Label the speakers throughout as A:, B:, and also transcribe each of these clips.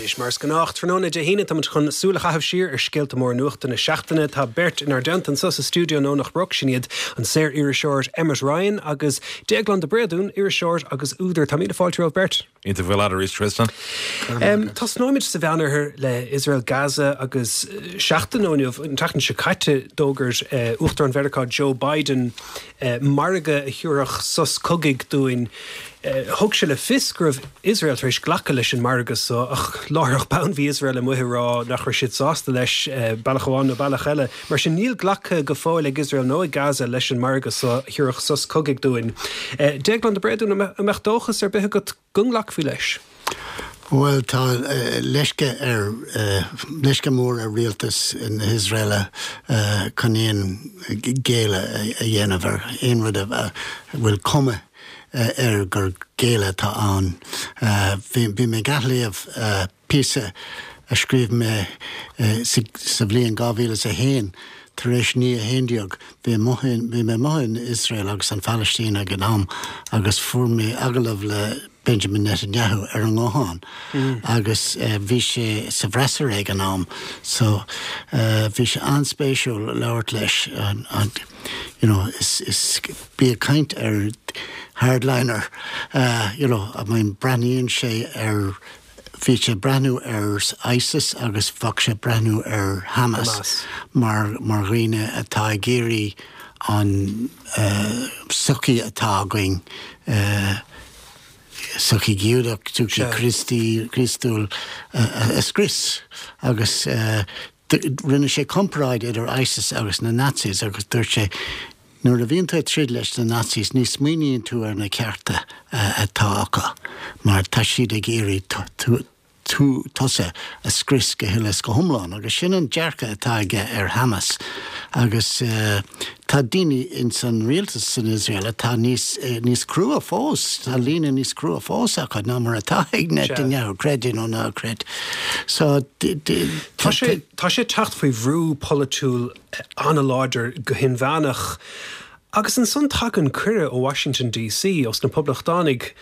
A: Anois, mar is gnách, tráthnóna Dé hAoine, táimid chun súil a chaitheamh siar ar scéalta móra nuachta na seachtaine. Tá beirt inár dteannta anseo sa stiúideo in Domhnach Broc, sin iad an saor-iriseoir Emmet Ryan agus Déaglán de Bréadún, iriseoir agus údar. Tá míle fáilte romhaibh beirt.
B: Iontach a bheith leat arís, Tristan.
A: Tosnóimid sa Mheánoirthear le Iosrael Gaza agus seachtain ó inniu, an tseachtain seo caite, d'fhógair Uachtarán Mheiriceá Joe Biden margadh a thabharfadh sos cogaidh dúinn. Thug sé le fios go raibh Iosrael tar éis glacadh leis an margadh so, ach láithreach bonn bhí Iosrael amuigh ag rá nach raibh siad sásta leis, bealach amháin nó bealach eile. Mar sin, níl glactha go fóill ag Iosrael nó ag Gaza leis an margadh so a thabharfadh sos cogaidh dúinn. Déaglán de Bréadún, an mbeadh dóchas ar bith agat go nglacfaí leis?
C: Bhuel, tá leisce ar, leisce mór ar rialtas na hIosraeile chun aon ghéilleadh a dhéanamh ar aon rud a bhfuil cuma air gur géilleadh atá ann. Bhí mé ag athléamh píosa a scríobh mé sa bhliain 2001 tar éis 9/11. Bhí mé amuigh in Iosrael agus an Phalaistín ag an am agus fuair mé agallamh le Benjamin Netanyahu ar an nguthán agus bhí sé sa bhfreasúra ag an am so bhí sé an-spéisiúil labhairt leis. You know, is, is, bí ag caint ar hardliner, you know, I mean breathnaíonn sé ar, bhí sé ag breathnú ar ISIS agus bheadh sé ag breathnú ar Hamas mar, mar dhaoine atá ag iarraidh an sochaí atá againn, sochaí Giúdach, sochaí Críostaí, Críostúil a scrios agus Rinne sé comparáid idir ISIS agus na Nazis agus dúirt sé, Nuair a bhíonn tú ag troid leis na Nazis ní smaoiníonn tú ar na cearta atá acu mar tá siad ag iarraidh tú, tusa, a scrios go huile is go hiomlán. Agus sin an dearcadh atá aige ar Hamas. Agus tá daoine ins an rialtas san Iosrael atá níos, níos crua fós, tá líne níos crua fós acu ná mar atá ag Netanyahu, creid é nó ná creid. So,
A: Tá sé, tá sé ag teacht faoi bhrú polaitiúil an-láidir go hinmheánach. Agus ansan tagann cuireadh ó Washington DC, ós na Poblachtánaigh,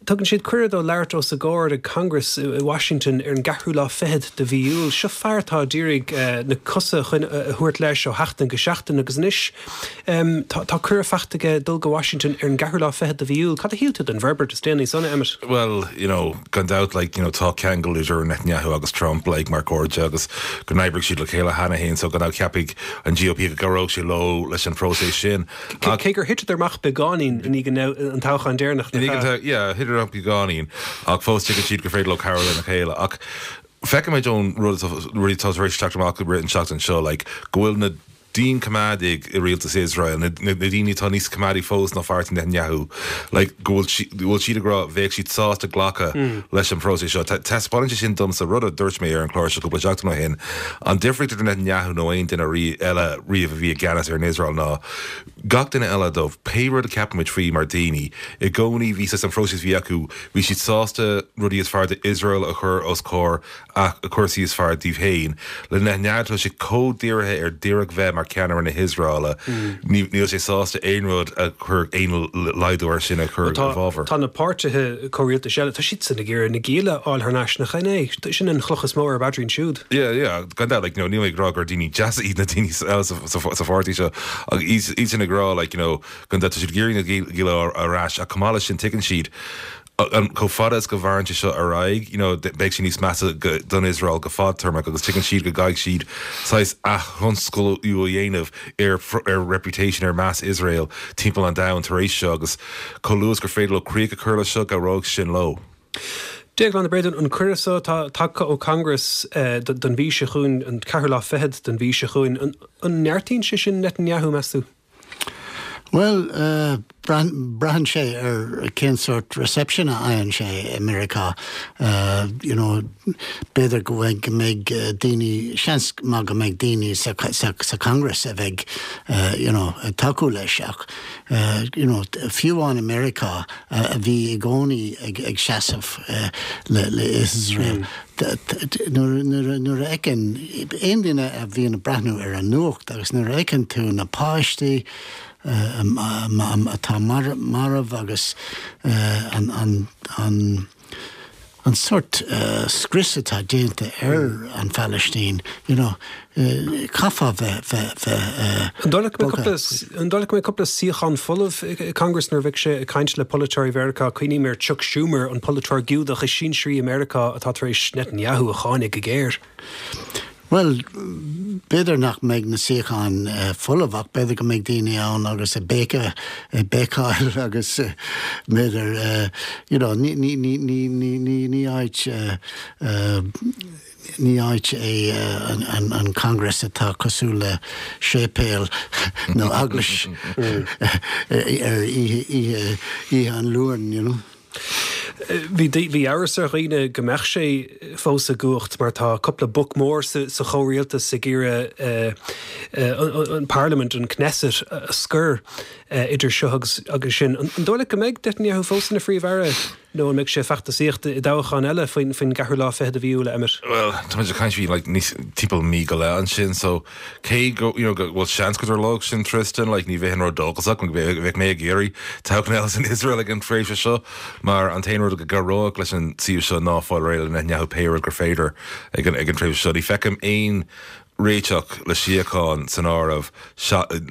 A: Tugann siad cuireadh dó labhairt os a gcomhair ag Congress i Washington ar an gceathrú lá fichead de mhí Iúil. Seo fear atá d'iarraidh na cosa a thabhairt leis ó sheachtain go seachtain agus anois tá cuireadh faighte aige dul go Washington ar an gceathrú lá fichead de mhí Iúil. Cad a shíl tú den bhforbairt is déanaí san, Emmet?
B: Bhuel, you know, gan dabht, like, you know, tá ceangal idir Netanyahu agus Trump, like, mar cairde agus go n-oibrigh siad le chéile cheana féin so gan dabht ceapfaidh an GOP go gcabhródh sé leo leis an phróiseas sin.
A: Cé gur thiteadar amach beagáinín i ndiaidh an toghcháin deireanach, nach ea?
B: Yeah, thiteadar amach beagáinín, ach fós tuigeann siad gur féidir leo cabhrú lena chéile. Ach feicimid ón rud rudaí atá tar éis teacht amach i rith an tseachtain seo, like, go bhfuil na dianchoimeádaigh i rialtas Iosrael, na daoine atá níos coimeádaí fós ná pháirtí Netanyahu, like, go bhfuil go bhfuil siad ag rá bheadh siad sásta glacadh leis an phróiseas seo. Taispeánann sé sin domsa rud a dúirt mé ar an chlár seo cúpla seachtain ó shin, An difríocht idir Netanyahu nó aon duine eile riamh a bhí i gceannas ar an Iosrael ná gach duine eile dóibh, pé rud a cheapaimid faoi mar daoine, i gcónaí bhí saghas an phróiseas a bhí acu, bhí siad sásta rudaí is fearr d'Iosrael a chur os comhair a cúrsaí is fearr díobh féin. Le Netanyahu tá sé chomh dírithe ar díreach bheith mar cheannaire na hIosraeile, níl sé sásta aon rud a chuirfeadh aon laghdú air sin a chur i bhfabhar.
A: Tá na páirtithe comhrialtais eile, tá siadsan ag iarraidh na gialla a fháil thar n-ais, nach in é? Sin an chloch is mó ar a bpaidrín siúd.
B: Yeah, yeah, gan dabht, like, you know, níl mé ag rá gur daoine deasa iad na daoine eile sa pháirtí seo, ach iad sin ag rá, like, you know, gan dabht tá siad ag iarraidh na gialla ar ais, ach chomh maith leis sin tuigeann siad, chomh fada is go mhaireann sé seo ar aghaidh, you know, beidh sé níos measa don Iosrael go fadtéarmach agus tuigeann siad go gcaithfidh siad saghas aththionsclú a dhéanamh ar ar reputation, ar meas Iosrael timpeall an domhain tar éis seo agus chomh luath is gur féidir leo críoch a chur leis seo, cabhróidh sin leo.
A: Déaglán de Bréadún, an cuireadh so atá tagtha ó Congress don mhí seo chugainn, an ceathrú lá fichead den mhí seo chugainn, an neartaíonn sé sin Netanyahu, meas tú?
C: Bhuel, braitheann sé ar cén sórt reception a fhaigheann sé i Meiriceá. You know, b'fhéidir go mbeidh daoine, seans maith go mbeidh daoine sa sa Congress a bheidh you know ag tacú leis ach you know, fiú amháin i Meiriceá a bhí i gcónaí ag ag seasamh le le Iosrael, Nuair a fheiceann aon duine a bhíonn ag breathnú ar an nuacht agus nuair a fheiceann tú na páistí atá marbh agus an an sórt scrios atá déanta ar an Phalaistín, you know, caithfeá bheith, bheith, bheith
A: An dóigh leat go mbeidh cúpla, an dóigh leat go mbeidh cúpla suíochán folamh i Congress nuair a bheidh sé ag caint le polaiteoirí Mheiriceá? Cuimhním ar Chuck Schumer, an polaiteoir Giúdach is sinsearaí i Meiriceá atá tar éis Netanyahu a cháineadh go géar.
C: Bhuel, b'fhéidir nach mbeidh na suíocháin folamh ach b'fhéidir go mbeidh daoine ann agus ag béiceadh, ag béiceáil agus b'fhéidir, you know, ní, ní, ní, ní, ní, ní, ní áit, ní áit é an, an Congress atá cosúil le séipéal nó eaglais ar oíche, oíche, oíche an Luain, you know.
A: Bhí bhí amhras ar dhaoine go mbeadh sé fós i gcumhacht mar tá cúpla boc mór sa chomhrialtas ag iarraidh an Parlaimint, an Knesset, a scor idir seo agus agus sin. An dóigh leat go mbeidh Netanyahu fós ina Phríomh-Aire nó an mbeidh sé ag feachtasaíocht i dtoghchán eile faoin gceathrú lá fichead de mhí Iúil, a Emmet?
B: Bhuel, tá muid ag caint faoi like níos timpeall mí go leith ansin so Cé go, you know, go bhfuil seans go dtarlódh sin Tristan, like, ní bheinn ródhóchasach, bheadh mé ag iarraidh toghchán eile san Iosrael ag an tréimhse seo, mar an t-aon rud go gcabhródh leis an suíomh seo ná fáil réidh le Netanyahu pé rud gur féidir ag an, ag an tréimhse seo. Ní feicim aon réiteach le síocháin san áireamh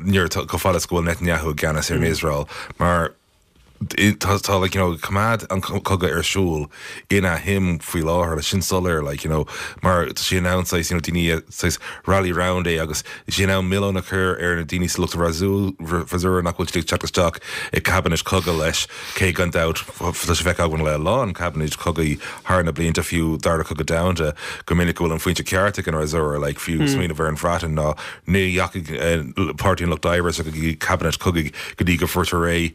B: nuair atá, chomh fada is go bhfuil Netanyahu i gceannas ar an Iosrael, mar tá tá like you know coimeád an cogadh ar siúl ina shuim faoi láthair sin soiléir like you know mar tá sé in ann saghas you know daoine saghas rally round é agus tá sé in ann milleán a chur ar na daoine sa lucht freasúra nach bhfuil siad ag teacht isteach i cabinet cogaidh leis cé gan dabht tá sé feicthe againn le a lán cabinet cogaidh thar na blianta fiú dara cogadh domhanda go minic go bhfuil an phointe ceart ag an fhreasúra like fiú smaoineamh ar an Bhreatain ná Ní dheachaigh Páirtí an Lucht Oibre isteach i gcabinet cogaidh go dtí go fuair réidh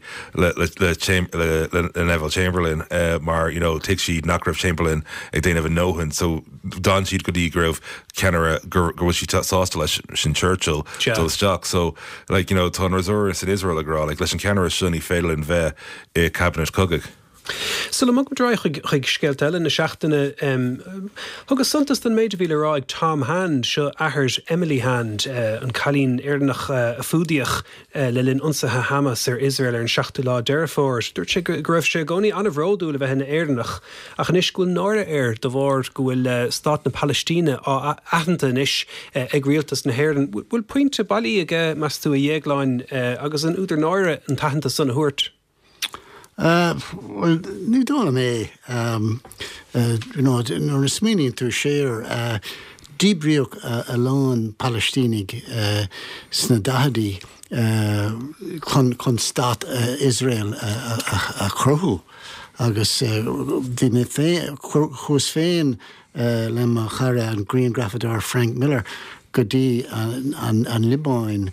B: le Neville Chamberlain mar you know thuig siad nach raibh Chamberlain ag déanamh a ndóthain so d'fhan siad go dtí go raibh ceannaire go bhfuil siad sásta leis sin Churchill dul isteach so like you know tá an fhreasúra san Iosrael ag rá like leis an ceannaire seo ní féidir linn bheith i cabinet cogaidh.
A: Sula mbogfaimid ar aghaidh chuig scéalta eile na seachtaine, thugas suntas don méid a bhí le rá ag Tom Hand, seo athair Emily Hand, an cailín Éireannach a fuadaíodh le linn ionsaithe Hamas ar Iosrael ar an seachtú lá Deireadh Fómhair. Dúirt sé go raibh sé i gcónaí an-bhródúil a bheith ina Éireannach ach anois go bhfuil náire air de bharr go bhfuil stát na Palaistíne á aitheanta anois ag rialtas na hÉireann. Bhfuil pointe bailí aige, meas tú, a Dhéagláin, agus an údar náire an t-aitheantas san a thabhairt?
C: Bhuel, ní dóigh liom é. You know, nuair a smaoiníonn tú siar, díbríodh a lán Palaistínigh sna daicheadaí chun chun stát Iosrael a chruthú agus bhí mé féin, chuas féin le mo chara an grianghrafadóir Frank Miller go dtí an Liobáin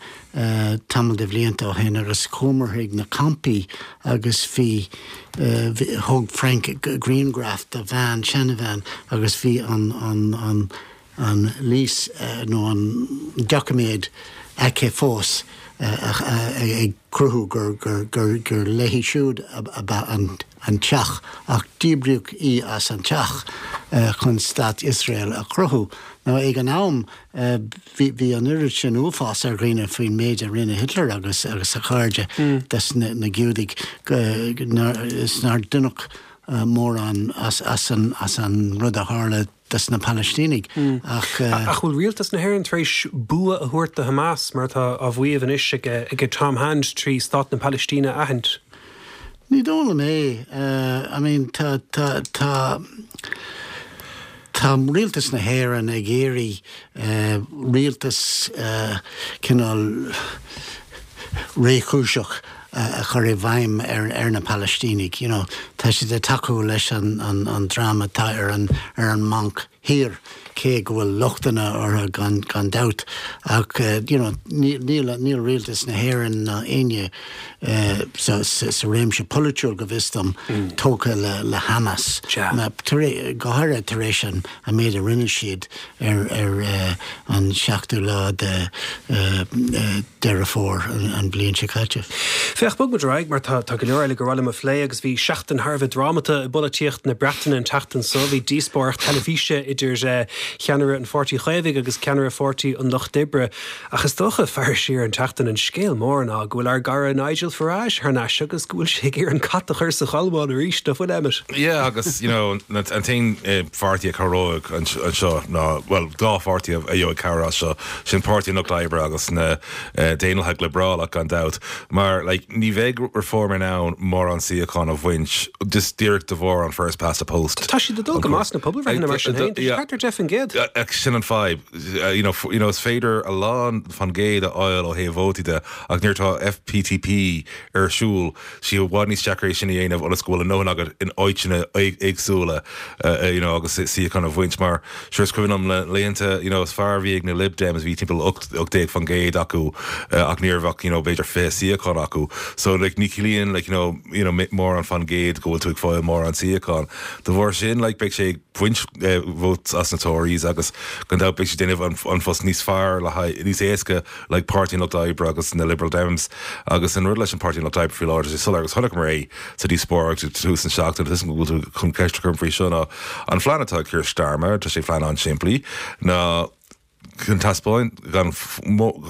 C: tamall de bhlianta ó shin agus chuamar chuig na campaí agus bhí, thóg Frank grianghraf de bhean, seanabhean agus bhí an, an, an, an lease nó an doiciméad aici fós ag cruthú gur, gur, gur, gur léi siúd ab ea an. an teach, ach díbríodh í as an teach chun stát Iosrael a chruthú. Now ag an am bhí bhí an oiread sin uafás ar dhaoine faoin méid a rinne Hitler agus agus a chairde des na na Giúdaigh is nár deineadh mórán as as an as an rud a tharla des na Palaistínigh
A: ach. Ach bhfuil rialtas na hÉireann tar éis bua a thabhairt do Hamas, mar atá á mhaíomh anois ag Tom Hand, trí Stát na Palaistíne a aithint?
C: Ní dóigh liom é. I mean tá, tá, tá, tá rialtas na hÉireann ag iarraidh rialtas cineál réchúiseach a chur i bhfeidhm ar na Palaistínigh. You know, tá siad ag tacú leis an dream atá ar an ar an mBanc Thiar, cé go bhfuil lochtanna orthu gan gan dabht, ach you know, níl níl rialtas na hÉireann ná éinne sa sa réimse polaitiúil, go bhfios dom, tógtha le le Hamas, go háirithe tar éis an an méid a rinne siad ar ar an seachtú lá de Deireadh Fómhair an bhliain seo caite.
A: Féach, bog muid ar aghaidh mar tá go leor eile gur mhaith liom a phlé agus bhí seachtain thar a bheith drámata i bpolaitíocht na Breataine an tseachtain seo. Bhí díospóireacht teilifíse idir. cheannaire an Pháirtí Chaomhaigh agus ceannaire Pháirtí an Lucht Oibre. Ach is dócha, faire siar an tseachtain, an scéal mór ná go bhfuil ár gcara Nigel Farage thar n-ais agus go bhfuil sé ag iarraidh an cat a chur sa cholmán arís, nach bhfuil, Emmet?
B: Yeah, agus, you know, an t-aon pháirtí a chabhróidh anseo ná, bhuel, dá pháirtí a gheobhaidh cabhair as seo, sin Páirtí an Lucht Oibre agus na Daonlathaigh Liobrálach, gan dabht, mar, like, ní bheidh Reform in ann mórán suíochán a bhaint just díreach de bharr an first past the post.
A: Tá siad ag dul go maith sna pobalbhreitheanna mar sin féin, tá siad thart ar 10%.
B: Sin an fadhb. You know, you know, is féidir a lán fan gcéad a fháil ó thaobh vótaí de ach nuair atá FPTP ar siúl, sé i bhfad níos deacra é sin a dhéanamh ionas go bhfuil a ndóthain agat in áiteanna éagsúla you know, agus suíochán a bhaint mar sure is cuimhin liom na laethanta you know, is fearr a bhí ag na Lib Dems bhí timpeall 18% acu ach ní raibh ach you know, b'fhéidir 20 suíochán acu so like, ní chiallaíonn like, you know, you know, mórán fan gcéad go bhfuil tú ag fáil mórán suíochán. De bharr sin like, beidh sé ag baint votes as na Tories agus gan dabht beidh sé ag déanamh an phost níos fearr le haghaidh, níos éasca le Páirtí an Lucht Oibre agus na Liberal Dems agus an rud leis an Páirtí an Lucht Oibre faoi láthair tá sé soiléir agus chonaiceamar é sa díospóireacht ag tús na seachtaine tá a fhios agam go bhfuil tú chun ceist a chur faoi seo ná an phlean atá ag Keir Starmer tá sé phlean an-simplí ná chun taispeáint gan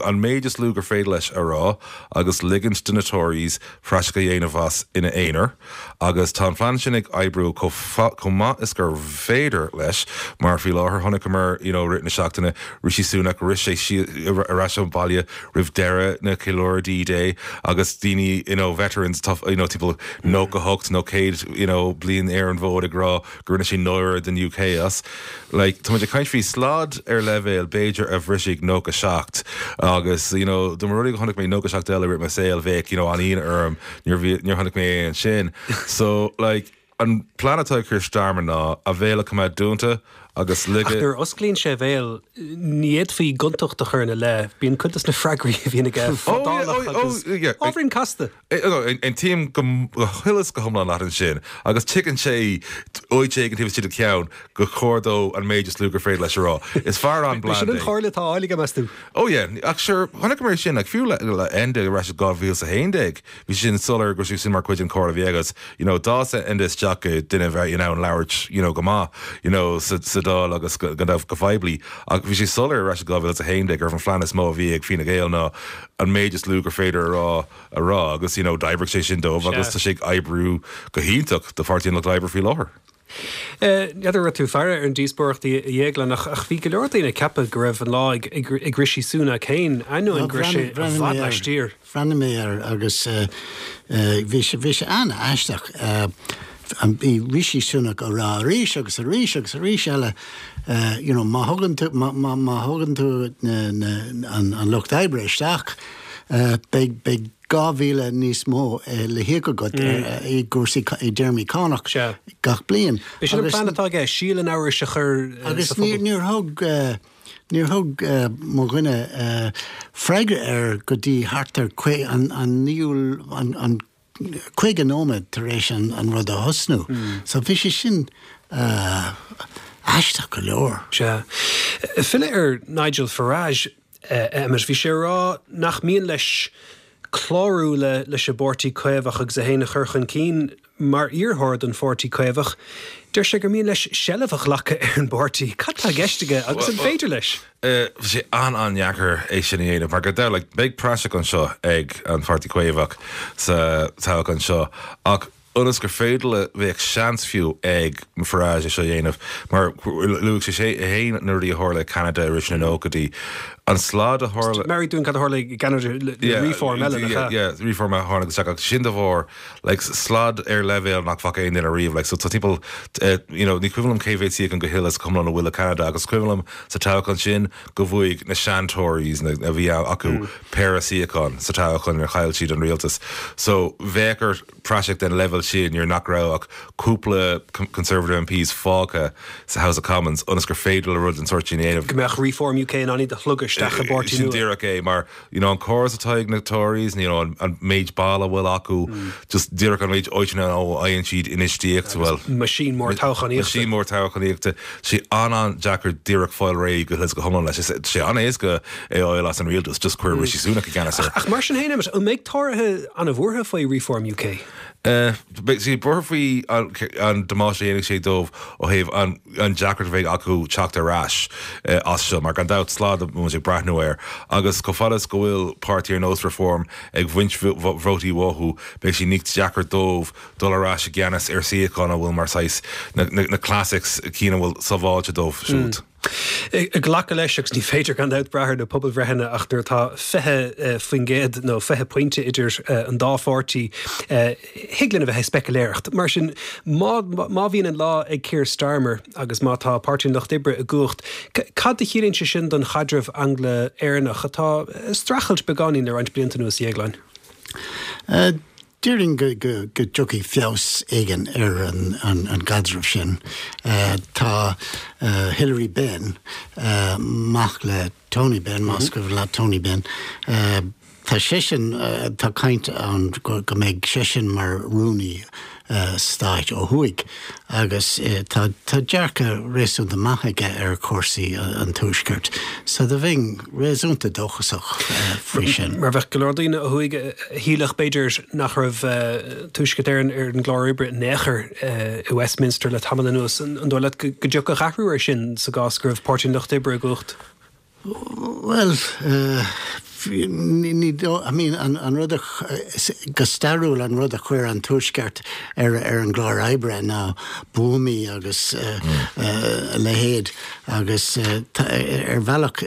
B: an méid is lú gur féidir leis a rá agus ligint do na Tories praiseach a dhéanamh as ina aonar agus tá an plean sin ag oibriú chomh maith is gur féidir leis mar faoi láthair chonaiceamar you know rith na seachtaine Rishi Sunak rith sé ar ais abhaile roimh deireadh na ceiliúradh D-Day agus daoine you know veterans tá you know timpeall 98 nó 100 you know bliain ar an bhfód ag rá go rinne sé náire den UK as. Like, tá muid ag caint faoi slad ar leibhéal b'fhéidir a bhrisfidh 97 agus, you know, dá mba rud é go chonaic mé 97 eile i rith mo saoil bheadh, you know, an-ionadh orm, níor bhí, níor chonaic mé é ansin. So, like, an plean atá ag Keir Starmer ná a bhéal a choimeád dúnta agus
A: Ach nuair a osclaíonn sé a bhéal, ní fhéadfaí gontacht a chur ina leith, bíonn cuid de na freagraí a bhíonn aige fadálach agus ábhairín casta.
B: Aontaím go huile is go hiomlán leat ansin, agus tuigeann sé áit éigin taobh istigh de cheann gur chóir dó an méid is lú gur féidir leis a rá. Is fear an-bland é.
A: Sin an chomhairle atá á fháil aige, meas tú?
B: Oh yeah, ach sure, chonaiceamar é sin, like, fiú le le Enda ar ais i 2011, bhí sin soiléir go raibh sé sin mar chuid den chomhairle a bhí aige agus, you know, d'fhás Enda isteach go duine a bheith in ann labhairt, you know, go maith, you know, sa sa Dáil agus go go go poiblí. Ach bhí sé soiléir ar ais i 2011 gurbh an phlean is mó a bhí ag Fine Gael ná an méid is lú gur féidir a rá a rá agus you know d'oibrigh sé sin dóibh agus tá sé ag oibriú go hiontach do Pháirtí an Lucht Oibre faoi láthair.
A: N'fheadar an raibh tú ag faire ar an díospóireacht a Dhéagláin ach bhí go leor daoine ag ceapadh go raibh an lá ag Rishi Sunak féin, ainneoin go raibh sé i bhfad laistiar.
C: Bhreathnaigh mé air agus bhí sé bhí sé an-aisteach. Bhí Rishi Sunak á rá arís agus arís agus arís eile you know má thugann tú má má thugann tú na na an lucht oibre isteach Beidh beidh 2,000 níos mó le híoc agat i gcúrsaí i dtéarmaí cánach gach bliain.
A: B'é sin an plean atá aige, síol an amhrais a chur
C: sa phobal. Agus níor thug níor thug mo dhuine freagra air go dtí thart ar an naoú an 50 nóiméad tar éis an rud a thosnú. So bhí sé sin aisteach go leor.
A: Sea. Filleadh ar Nigel Farage, Emmet, bhí sé ag rá nach mian leis clárú leis an bPáirtí Caomhach agus é féin a chur chun cinn mar iarrthóir don Pháirtí Caomhach. Deir sé gur mian leis seilbh a ghlacadh ar an bpáirtí. Cad tá i gceist aige agus an féidir leis?
B: Tá sé an-an-dheacair é sin a dhéanamh mar go deimhin, like, beidh praiseach anseo ag an Pháirtí Caomhach sa toghchán seo ach ionas gur féidir le, bheadh seans fiú ag Farage é seo a dhéanamh mar luaigh sé é féin na rudaí a tharla i Ceanada i rith na nóchaidí, an slad a tharla.
A: Meabhraigh dúinn cad a tharla i gCeanada le Reform eile, nach ea?
B: Yeah, Reform a tháinig isteach ach sin de bharr like slad ar leibhéal nach bhfaca aon duine riamh like so tá timpeall you know ní cuimhin liom cé mhéad suíochán go huile is go hiomlán a bhfuil i Ceanada agus is cuimhin liom sa toghchán sin go bhuaigh na sean-Tories na a bhí acu péire suíochán sa toghchán inar chaill siad an rialtas so bheadh ort praiseach den leibhéal sin nuair nach raibh ach cúpla Conservative MPs fágtha sa House of Commons ionas gur féidir le rud den sórt sin a dhéanamh.
A: Go mbeadh Reform UK in ann iad a shlogadh isteach i bpáirtí
B: nua. Sin díreach é mar you know an córas atá ag na Tories, you know an méid ball a bhfuil acu, just díreach an méid áiteanna a fhaigheann siad infheistíocht, bhuel.
A: Machine mór toghchánaíochta.
B: Machine mór toghchánaíochta. Sé an-an-deacair díreach fáil réidh go huile is go hiomlán leis. Tá sé an-éasca é a fháil as an rialtas, just cuir Rishi Sunak i gceannas
A: air. Ach mar sin féin, Emmet, an mbeidh Tóraithe an-bhuartha faoi Reform UK?
B: Beidh siad buartha faoi an damáiste a dhéanfaidh sé dóibh ó thaobh an deacracht a bheidh acu teacht ar ais as seo, mar gan dabht slad a bhfuil muid ag breathnú air agus chomh fada is go bhfuil páirtí ar nós Reform ag baint vótaí uathu, beidh sé níos deacra dóibh dul ar ais i gceannas ar suíocháin a bhfuil mar saghas na classics, cinn a bhfuil sábháilte dóibh siúd.
A: Ag glacadh leis, agus ní féidir gan dabht brath ar na pobalbhreitheanna, ach nuair atá 20% nó 20 pointe idir an dá pháirtí, thig linn a bheith ag speicealéireacht. Mar sin, má má bhíonn an lá ag Keir Starmer agus má tá Páirtí an Lucht Oibre i gcumhacht, cad a chiallaíonn sé sin don chaidreamh Angla-Éireannach atá ag streachailt beagáinín le roinnt blianta anuas, a Dhéagláin?
C: Déarfainn go dtiocfaidh feabhas éigin ar an gcaidreamh sin. Tá Hilary Benn, mac le Tony Benn, más cuimhin leat Tony Benn, tá seisean, tá caint ann go mbeidh seisean mar rúnaí stáit ó thuaidh agus tá dearcadh réasúnta maith aige ar chúrsaí an Tuaiscirt so do bheinn réasúnta dóchasach faoi sin.
A: Mar bheadh go leor daoine ó thuaidh a shílfeadh b'fhéidir nach raibh Tuaisceart Éireann ar an gclár oibre in aon chor i Westminster le tamall anuas. An dóigh leat go dtiocfadh athrú air sin sa gcás go raibh Páirtí an Lucht Oibre i gcumhacht?
C: Bhuel, ní dóigh, I mean, an rud a, go stairiúil an rud a chuir an Tuaisceart ar ar an gclár oibre ná buamaí agus a leithéid agus ar bhealach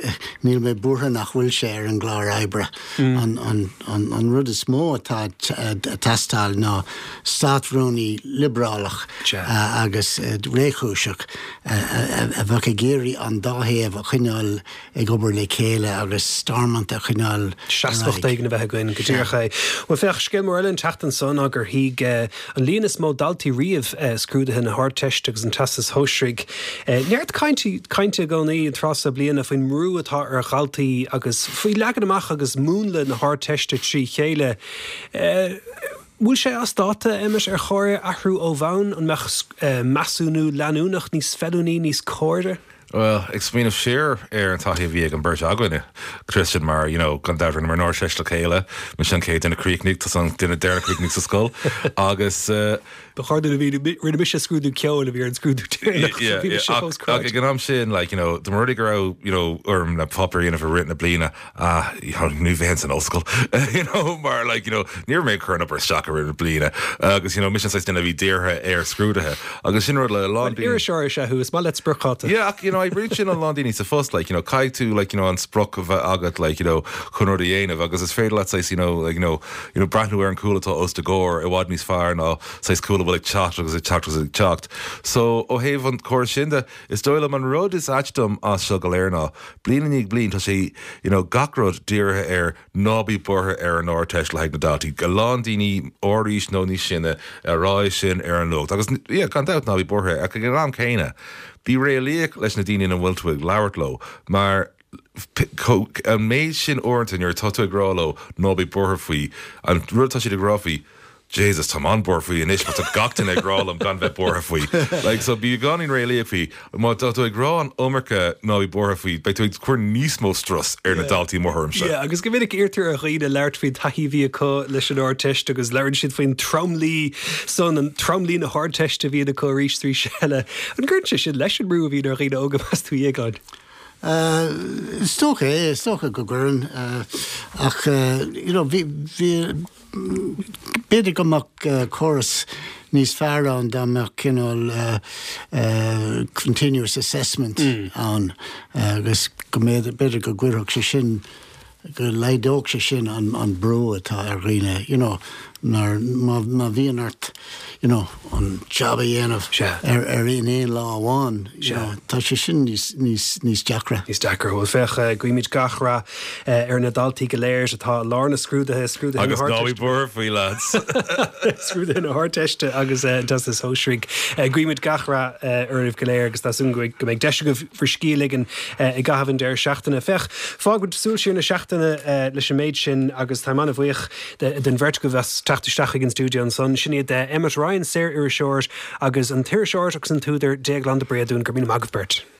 C: níl mé buartha nach bhfuil sé ar an gclár oibre. An rud is mó atá ag teastáil ná státrúnaí liobrálach agus réchúiseach a bheadh ag iarraidh an dá thaobh a choinneáil ag obair le chéile agus Stormont a choinneáil ar
A: Seasmhacht éigin a bheith againn, go díreach é. Bhuel, féach, scéal mór eile an tseachtain seo ná gur shuigh an líon is mó daltaí riamh scrúduithe na hArdteiste agus an Teastais Shóisearaigh. Neart cainte i gcónaí an tráth seo bliana faoin mbrú atá ar dhaltaí agus faoi leagan amach agus múnla na hArdteiste trí chéile. Bhfuil sé as dáta, Emmet, ar chóir athrú ó bhonn? An mbeadh measúnú leanúnach níos feiliúnaí, níos cóire?
B: Bhuel, ag smaoineamh siar ar an taithí a bhí ag an beirt againne, Tristan, mar, you know, gan dabht rinneamar an Ardteist le chéile, mise an chéad duine a chríochnaigh, tusa an duine deireanach a chríochnaigh sa scoil, agus.
A: Ba chóir dúinn a mhíniú, rinne mise scrúdú ceoil a bhí ar an scrúdú deireanach, so bhí mise fós
B: craic. Ach ag an am sin, like, you know, dá mba rud é go raibh, you know, orm na páipéir a dhéanamh i rith na bliana, ah, you know, ní bheinn san ollscoil, you know, mar like, you know, ní raibh mé ag cur an obair isteach i rith na bliana agus, you know, mise an saghas duine a bhí dírithe ar scrúduithe agus sin rud le a lán
A: daoine. Iriseoir is ea thú, is maith leat spriocdháta.
B: Yeah, ach, you know, oibríonn sin a lán daoine sa phost, like, you know, caithfidh tú, like, you know, an sprioc a bheith agat, like, you know, chun rud a dhéanamh agus is féidir leat saghas, you know, like, you know, you know, breathnú ar an cúl atá os do chomhair i bhfad níos fearr ná saghas cúl a bhfuil ag teacht agus ag teacht agus ag teacht. So, ó thaobh an chórais sin de, is dóigh liom an rud is ait dom as seo go léir ná, Bliain i ndiaidh bliain tá sé, you know, gach rud dírithe ar ná bí buartha ar an Ardteist le haghaidh na ndaltaí. A lán daoine ár aois nó níos sine ag rá é sin ar an nuacht. Agus, yeah, gan dabht ná bí buartha ach ag an am céanna, bí réalaíoch leis na daoine ina bhfuil tú ag labhairt leo mar an méid sin uaireanta nuair atá tú ag rá leo ná bí buartha faoi, an rud atá siad ag rá faoi, Jesus, táim an-buartha faoi anois mar tá gach duine ag rá liom gan bheith buartha faoi. Like, so bí beagáinín réalaíoch faoi. Má tá tú ag rá an iomarca ná bí buartha faoi, beidh tú ag cur níos mó strus ar na daltaí mo thuairimse.
A: Yeah, agus go minic iarrtar ar dhaoine labhairt faoin taithí a bhí acu leis an Ardteist agus labhrann siad faoin tromluí san, an tromluí na hArdteiste a bhíonn acu arís is arís eile. An gcuireann sé sin leis an mbrú a bhíonn ar dhaoine óga, meas tú, a Dhéagláin?
C: Is dócha é, is dócha go gcuireann. Ach, you know, bhí, bhí, B'fhéidir go mbeadh córas níos fearr ann dá mbeadh cineál continuous assessment ann agus go mb'fhéidir go gcuirfeadh sé sin, go laghdódh sé sin an brú atá ar dhaoine, you know, mar má bhíonn ort, you know, an job a dhéanamh ar ar in aon lá amháin, you know, tá sé sin níos níos níos deacra.
A: Níos deacra. Bhuel, féach, guímid gach rath ar na daltaí go léir atá i lár na scrúduithe, scrúduithe
B: na Agus ná bí buartha faoi, lads.
A: Scrúduithe na hArdteiste agus an Teastas Shóisearaigh. Guímid gach rath oraibh go léir agus tá súil againn go mbeidh deis agaibh bhur scíth a ligean i gcaitheamh an deireadh seachtaine. Féach, fágfaimid súil siar na seachtaine leis an méid sin agus táim an-bhuíoch den bheirt agaibh as teacht isteach chuig an stiúideo ansan. Sin iad Emmet Ryan, saor-iriseoir, agus an t-iriseoir agus an t-údar Déaglán de Bréadún. Go raibh míle maith agaibh beirt.